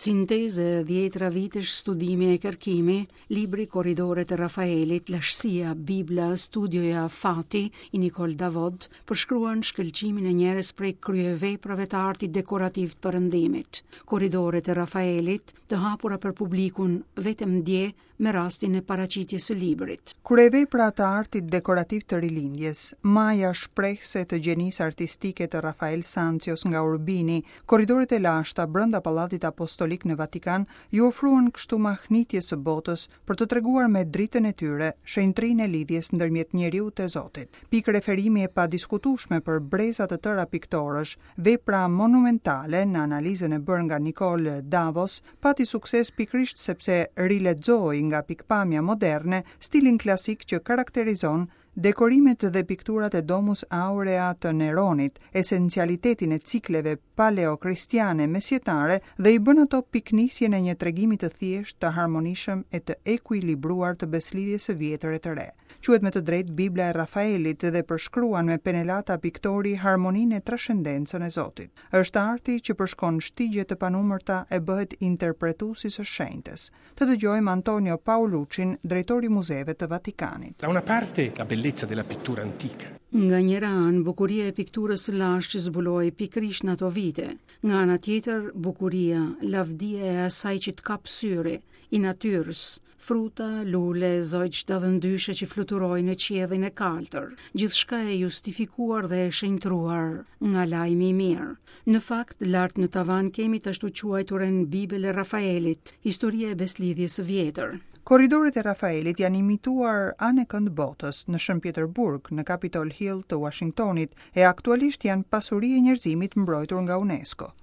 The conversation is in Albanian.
Sintezë e dhjetra vitesh studimi e kërkimi, libri Korridoret e Rafaelit, Lashtësia, Bibla, Studioja, Fati, i Nicole Davod, përshkruan shkëlqimin e njërës prej kryeveprave të artit dekorativ të Perëndimit. Korridoret e Rafaelit, të hapura për publikun vetëm dje me rastin e paraqitjes së librit. Kryevepra të artit dekorativ të Rilindjes, maja shprehëse të gjenisë artistike të Rafael Sancios nga Urbini, korridoret e lashta brenda Pallatit Apostolik në Vatikan iu ofruan kështu mahnitjes së botës për të treguar me dritën e tyre shenjtërinë e lidhjes ndërmjet njeriut e Zotit. Pikë referimi e padiskutueshme për breza të tëra piktorësh, vepra monumentale në analizën e bërë nga Nicole Davos pati sukses pikërisht sepse rilexoi nga pikëpamja moderne stilin klasik që karakterizon dekorimet dhe pikturat e Domus Aurea të Neronit, esencialitetin e cikleve paleokristiane mesjetare dhe i bën ato pikënisjen e një tregimi të thjeshtë, të harmonishëm e të ekuilibruar të besëlidhjes së vjetër e të re. Quhet me të drejtë Bibla e Rafaelit dhe përshkruan me penelata piktori harmoninë e trashendencën e Zotit. Është arti që përshkon shtigje të panumërta e bëhet interpretues i së shenjtës. Të dëgjojmë Antonio Paoluccin, drejtor i Muzeve të Vatikanit. Da una parte la bellezza della pittura antica. Nga njëra anë, bukuria e pikturës së lashtë që zbulohej pikërisht në ato vite. Nga ana tjetër, bukuria, lavdia e asaj që të kap syri, i natyrës, Fruta, lule, zogj dallëndyshe që fluturojnë në qiellin e kaltër, gjithçka e justifikuar dhe e shenjtëruar nga lajmi i mirë. Në fakt, lart në tavan kemi të ashtuquajturën Bibël e Rafaelit, historia e besëlidhjes së vjetër. Korridoret e Rafaelit janë imituar anekënd botës, në Shën Pjetërburg, në Capitol Hill të Uashingtonit, e aktualisht janë pasuri e njerëzimit mbrojtur nga UNESCO.